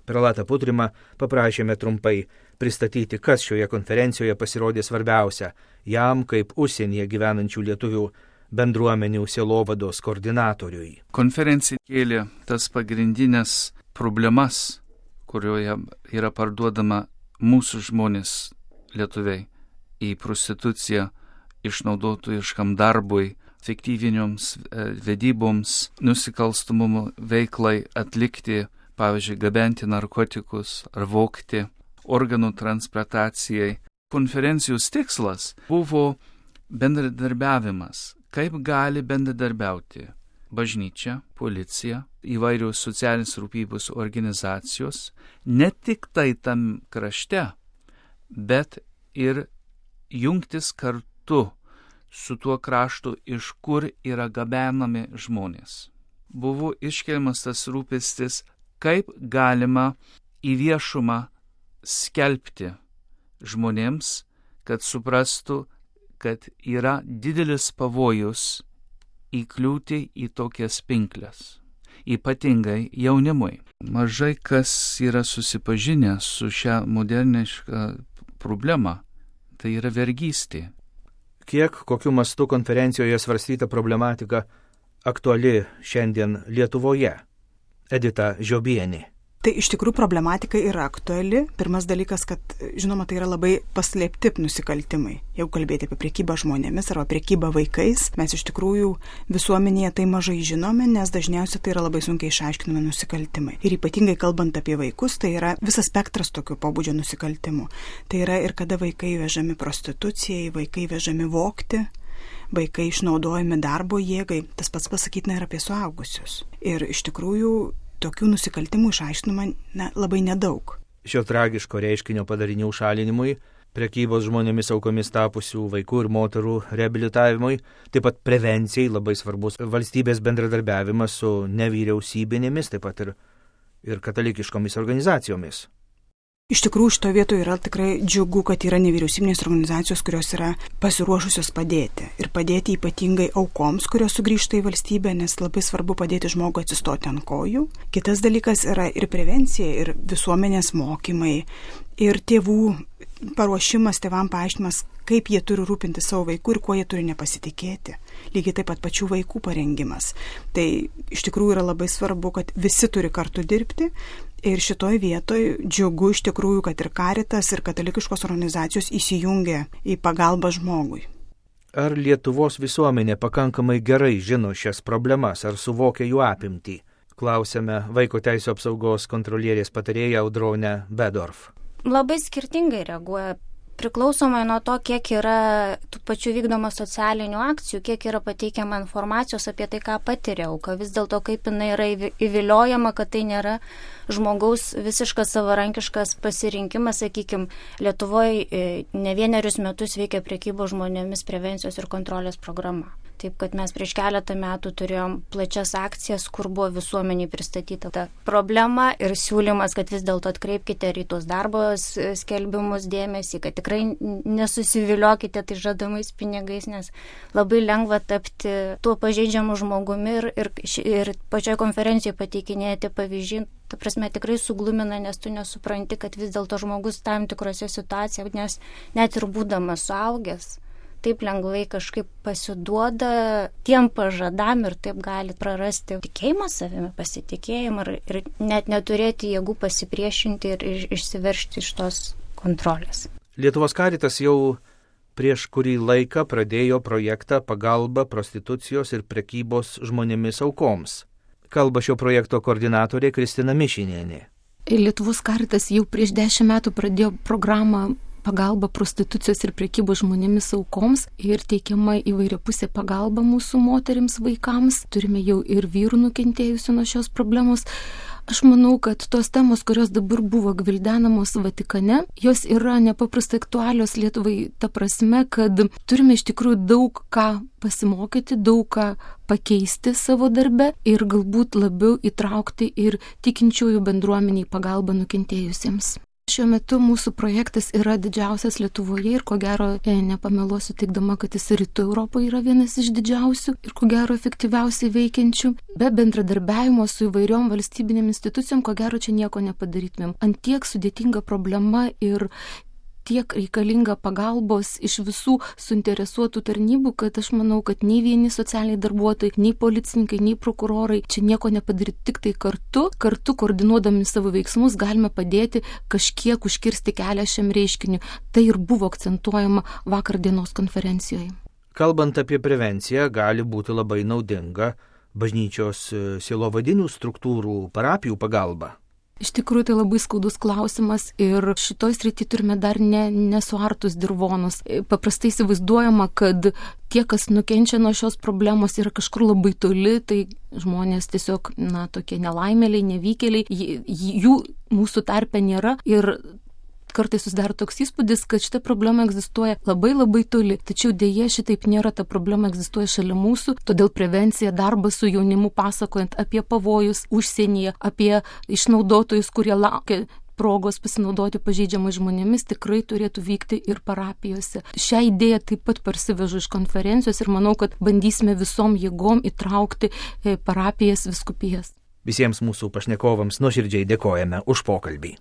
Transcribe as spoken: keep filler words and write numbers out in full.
Prelatą Putrimą paprašėme trumpai pristatyti, kas šioje konferencijoje pasirodė svarbiausia jam kaip užsienyje gyvenančių lietuvių bendruomenių sielovados koordinatoriui. Konferencija kėlė tas pagrindinės problemas, kurioje yra parduodama mūsų žmonės lietuviai į prostituciją, išnaudotojiškam darbui, fiktyvinioms vedyboms, nusikalstamumo veiklai atlikti, pavyzdžiui, gabenti narkotikus ar vogti, organų transplantacijai. Konferencijos tikslas buvo bendradarbiavimas. Kaip gali bendradarbiauti bažnyčia, policija, įvairios socialinės rūpybos organizacijos, ne tik tai tam krašte, bet ir jungtis kartu su tuo kraštu, iš kur yra gabenami žmonės. Buvo iškeliamas tas rūpestis, kaip galima į viešumą skelbti žmonėms, kad suprastų, kad yra didelis pavojus įkliūti į tokias pinkles, ypatingai jaunimui. Mažai kas yra susipažinę su šią modernišką problemą, tai yra vergystė. Kiek, kokiu mastu konferencijoje svarstyta problematika aktuali šiandien Lietuvoje? Edita Žiobienė. Tai iš tikrųjų problematika yra aktuali. Pirmas dalykas, kad, žinoma, tai yra labai paslėpti nusikaltimai. Jeigu kalbėti apie priekybą žmonėmis arba priekybą vaikais, mes iš tikrųjų visuomenėje tai mažai žinome, nes dažniausiai tai yra labai sunkiai išaiškinami nusikaltimai. Ir ypatingai kalbant apie vaikus, tai yra visas spektras tokio pobūdžio nusikaltimų. Tai yra ir kada vaikai vežami prostitucijai, vaikai vežami vogti, vaikai išnaudojami darbo jėgai. Tas pats pasakytina ir apie suaugusius. Ir iš tikrųjų tokių nusikaltimų išaiškinama na, labai nedaug. Šio tragiško reiškinio padarinių šalinimui, prekybos žmonėmis aukomis tapusių vaikų ir moterų reabilitavimui, taip pat prevencijai labai svarbus valstybės bendradarbiavimas su nevyriausybinėmis, taip pat ir, ir katalikiškomis organizacijomis. Iš tikrųjų, šito vietoje yra tikrai džiugu, kad yra nevyriausybinės organizacijos, kurios yra pasiruošusios padėti. Ir padėti ypatingai aukoms, kurios sugrįžta į valstybę, nes labai svarbu padėti žmogui atsistoti ant kojų. Kitas dalykas yra ir prevencija, ir visuomenės mokymai, ir tėvų paruošimas, tėvam paaiškinimas, kaip jie turi rūpinti savo vaikų ir kuo jie turi nepasitikėti. Lygiai taip pat pačių vaikų parengimas. Tai iš tikrųjų yra labai svarbu, kad visi turi kartu dirbti. Ir šitoj vietoj džiugu iš tikrųjų, kad ir Caritas, ir katalikiškos organizacijos įsijungia į pagalbą žmogui. Ar Lietuvos visuomenė pakankamai gerai žino šias problemas, ar suvokia jų apimtį? Klausėme Vaiko teisių apsaugos kontrolierės patarėją Audronę Bedorf. Labai skirtingai reaguoja. Priklausomai nuo to, kiek yra tų pačių vykdoma socialinių akcijų, kiek yra pateikiama informacijos apie tai, ką patiria auka, vis dėlto kaip jinai yra įviliojama, kad tai nėra žmogaus visiškas savarankiškas pasirinkimas, sakykime, Lietuvoje ne vienerius metus veikia prekybos žmonėmis prevencijos ir kontrolės programa. Taip, kad mes prieš keletą metų turėjom plačias akcijas, kur buvo visuomeniai pristatyta ta problema ir siūlymas, kad vis dėlto atkreipkite į tos darbo skelbimus dėmesį, kad tikrai nesusiviliokite tai žadamais pinigais, nes labai lengva tapti tuo pažeidžiamu žmogumi ir, ir, ir pačioje konferencijoje pateikinėti pavyzdžiai. Ta prasme, tikrai suglumina, nes tu nesupranti, kad vis dėlto žmogus tam tikrose situacijose, nes net ir būdamas suaugęs, taip lengvai kažkaip pasiduoda tiem pažadam ir taip gali prarasti tikėjimą savimi, pasitikėjimą ir, ir net neturėti jėgų pasipriešinti ir išsiveržti iš tos kontrolės. Lietuvos Caritas jau prieš kurį laiką pradėjo projektą pagalba prostitucijos ir prekybos žmonėmis aukoms. Kalba šio projekto koordinatorė Kristina Mišinienė. Lietuvos Caritas jau prieš dešimt metų pradėjo programą pagalba prostitucijos ir prekybos žmonėmis aukoms ir teikiama įvairiapusė pagalba mūsų moterims, vaikams. Turime jau ir vyrų nukentėjusių nuo šios problemos. Aš manau, kad tos temos, kurios dabar buvo gvildenamos Vatikane, jos yra nepaprastai aktualios Lietuvai ta prasme, kad turime iš tikrųjų daug ką pasimokyti, daug ką pakeisti savo darbe ir galbūt labiau įtraukti ir tikinčiųjų bendruomeniai pagalbą nukentėjusiems. Šiuo metu mūsų projektas yra didžiausias Lietuvoje ir ko gero nepameluosiu teikdama, kad jis Rytų Europoje yra vienas iš didžiausių ir ko gero efektyviausiai veikiančių. Be bendradarbiavimo su įvairiom valstybinėm institucijom, ko gero čia nieko nepadarytumėm. Ant tiek sudėtinga problema ir tiek reikalinga pagalbos iš visų suinteresuotų tarnybų, kad aš manau, kad nei vieni socialiniai darbuotojai, nei policininkai, nei prokurorai čia nieko nepadaryti, tik tai kartu, kartu koordinuodami savo veiksmus galime padėti kažkiek užkirsti kelią šiam reiškiniu. Tai ir buvo akcentuojama vakar dienos konferencijoje. Kalbant apie prevenciją, gali būti labai naudinga bažnyčios sielovadinių struktūrų, parapijų pagalba. Iš tikrųjų, tai labai skaudus klausimas ir šitoj srity turime dar ne, nesuartus dirvonus. Paprastai įsivaizduojama, kad tie, kas nukenčia nuo šios problemos, yra kažkur labai toli, tai žmonės tiesiog, na, tokie nelaimėliai, nevykėliai, jų mūsų tarpe nėra ir kartais susidaro toks įspūdis, kad šita problema egzistuoja labai labai toli. Tačiau dėje šitaip nėra, ta problema egzistuoja šalia mūsų, todėl prevencija, darbas su jaunimu pasakojant apie pavojus užsienyje, apie išnaudotojus, kurie laukia progos pasinaudoti pažeidžiamais žmonėmis, tikrai turėtų vykti ir parapijose. Šią idėją taip pat parsivežu iš konferencijos ir manau, kad bandysime visom jėgom įtraukti parapijas, vyskupijas. Visiems mūsų pašnekovams nuoširdžiai dėkojame už pokalbį.